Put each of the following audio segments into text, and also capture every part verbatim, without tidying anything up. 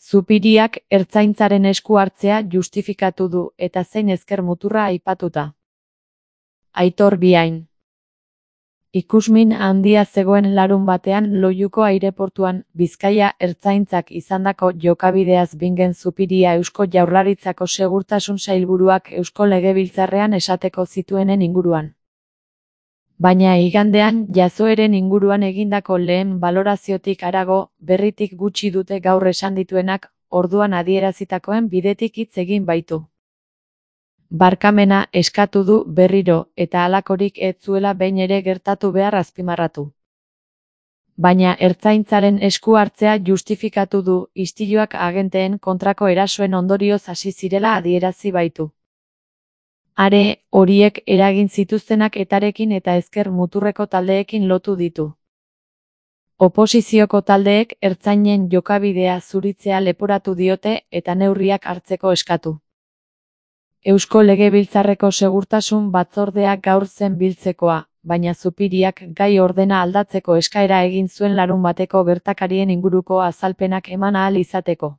Zupiriak ertzaintzaren esku hartzea justifikatu du eta zein ezker muturra aipatuta. Aitor Biain. Ikusmin handia zegoen larun batean Loiuko aireportuan, Bizkaia ertzaintzak izandako jokabideaz bingen Zupiria Eusko Jaurlaritzako Segurtasun Sailburuak Eusko Legebiltzarrean esateko zituenen inguruan. Baina igandean jazoeren inguruan egindako lehen baloraziotik harago, berritik gutxi dute gaur esan dituenak, orduan adierazitakoen bidetik hitz egin baitu. Barkamena eskatu du berriro eta halakorik ez zuela behin ere gertatu behar azpimarratu. Baina ertzaintzaren esku hartzea justifikatu du istiluak agenteen kontrako erasoen ondorioz hasi zirela adierazi baitu. Are, horiek eragin zituztenak etarekin eta ezker muturreko taldeekin lotu ditu. Oposizioko taldeek ertzainen jokabidea zuritzea leporatu diote eta neurriak hartzeko eskatu. Eusko Legebiltzarreko Segurtasun Batzordeak gaur zen biltzekoa, baina Zupiriak gai ordena aldatzeko eskaera egin zuen larun bateko gertakarien inguruko azalpenak eman ahal izateko.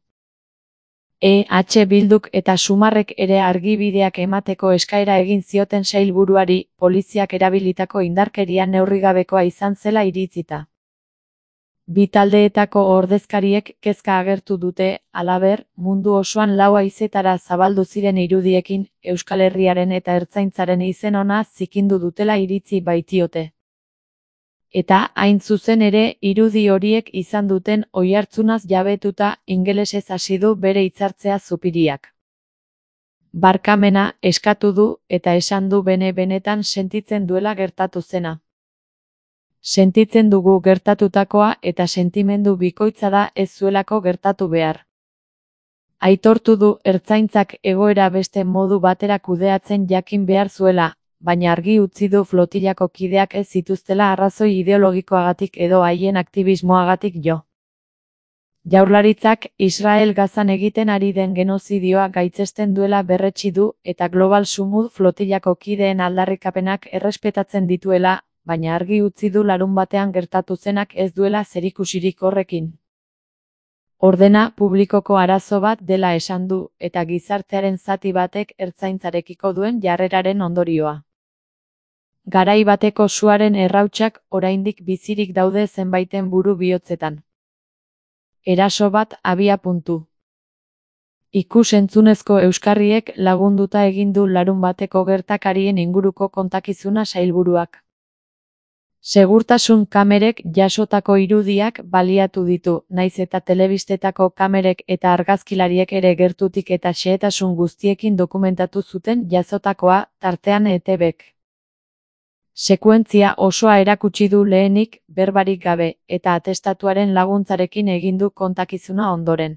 E H Bilduk eta Sumarrek ere argibideak emateko eskaera egin zioten sailburuari, poliziak erabilitako indarkeria neurrigabekoa izan zela iritzita. Bi taldeetako ordezkariek kezka agertu dute, halaber, mundu osoan lau haizetara zabaldu ziren irudiekin, Euskal Herriaren eta ertzaintzaren izen ona zikindu dutela iritzi baitiote. Eta, hain zuzen ere, irudi horiek izan duten oihartzunaz jabetuta, ingelesez hasi du bere hitzartzea Zupiriak. Barkamena eskatu du eta esan du bene-benetan sentitzen duela gertatu zena. Sentitzen dugu gertatutakoa eta sentimendu bikoitza da ez zuelako gertatu behar. Aitortu du ertzaintzak egoera beste modu batera kudeatzen jakin behar zuela, baina argi utzi du flotilako kideak ez zituztela arrazoi ideologikoagatik edo haien aktivismoagatik jo. Jaurlaritzak Israel Gazan egiten ari den genozidioa gaitzesten duela berretsi du eta Global Sumud flotilako kideen aldarrikapenak errespetatzen dituela, baina argi utzi du larun batean gertatu zenak ez duela zerikusirik horrekin. Ordena publikoko arazo bat dela esan du, eta gizartearen zati batek ertzaintzarekiko duen jarreraren ondorioa. Garai bateko suaren errautsak oraindik bizirik daude zenbaiten buru bihotzetan. Eraso bat abia puntu. Ikus-entzunezko euskarriek lagunduta egin du larun bateko gertakarien inguruko kontakizuna sailburuak. Segurtasun kamerek jasotako irudiak baliatu ditu, naiz eta telebistetako kamerek eta argazkilariek ere gertutik eta xehetasun guztiekin dokumentatu zuten jasotakoa, tartean E T Bek. Sekuentzia osoa erakutsi du lehenik, berbarik gabe, eta atestatuaren laguntzarekin egin du kontakizuna ondoren.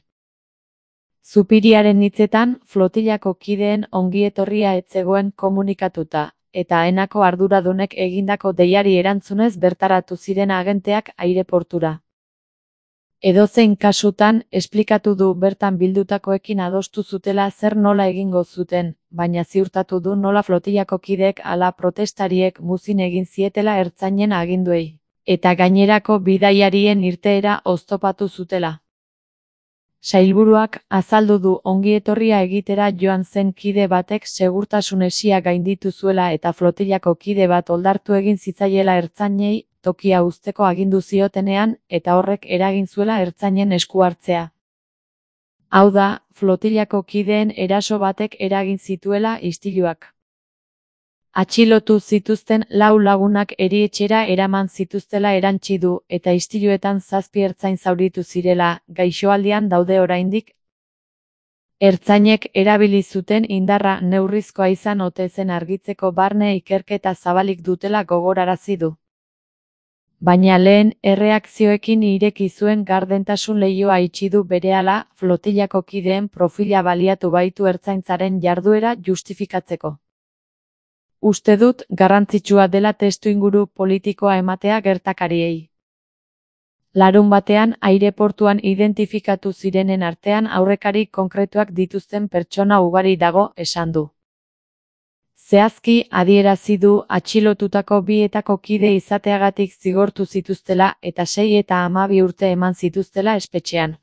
Zupiriaren hitzetan, flotilako kideen ongietorria ez zegoen komunikatuta, eta enako arduradunek egindako deiari erantzunez bertaratu ziren agenteak aireportura. Edozein kasutan, esplikatu du bertan bildutakoekin adostu zutela zer nola egingo zuten, baina ziurtatu du nola flotilako kideek ala protestariek muzin egin zietela ertzainen aginduei, eta gainerako bidaiarien irteera oztopatu zutela. Sailburuak azaldu du ongietorria egitera joan zen kide batek segurtasun hesia gainditu zuela eta flotilako kide bat oldartu egin zitzaiela ertzainei tokia uzteko agindu ziotenean eta horrek eragin zuela ertzainen esku hartzea. Hau da, flotilako kideen eraso batek eragin zituela istiluak. Atxilotu zituzten lau lagunak erietxera eraman zituztela erantsi du eta istiluetan zazpi ertzain zauritu zirela, gaixoaldian daude oraindik. Ertzainek erabili zuten indarra neurrizkoa izan ote zen argitzeko barne ikerketa zabalik dutela gogorarazi du. Baina lehen erreakzioekin ireki zuen gardentasun leihoa itxi du berehala, flotilako kideen profila baliatu baitu ertzaintzaren jarduera justifikatzeko. Uste dut garrantzitsua dela testuinguru politikoa ematea gertakariei. Larun batean aireportuan identifikatu zirenen artean aurrekari konkretuak dituzten pertsona ugari dago, esan du. Zehazki adierazi du atxilotutako bietako kide izateagatik zigortu zituztela eta sei eta hamabi urte eman zituztela espetxean.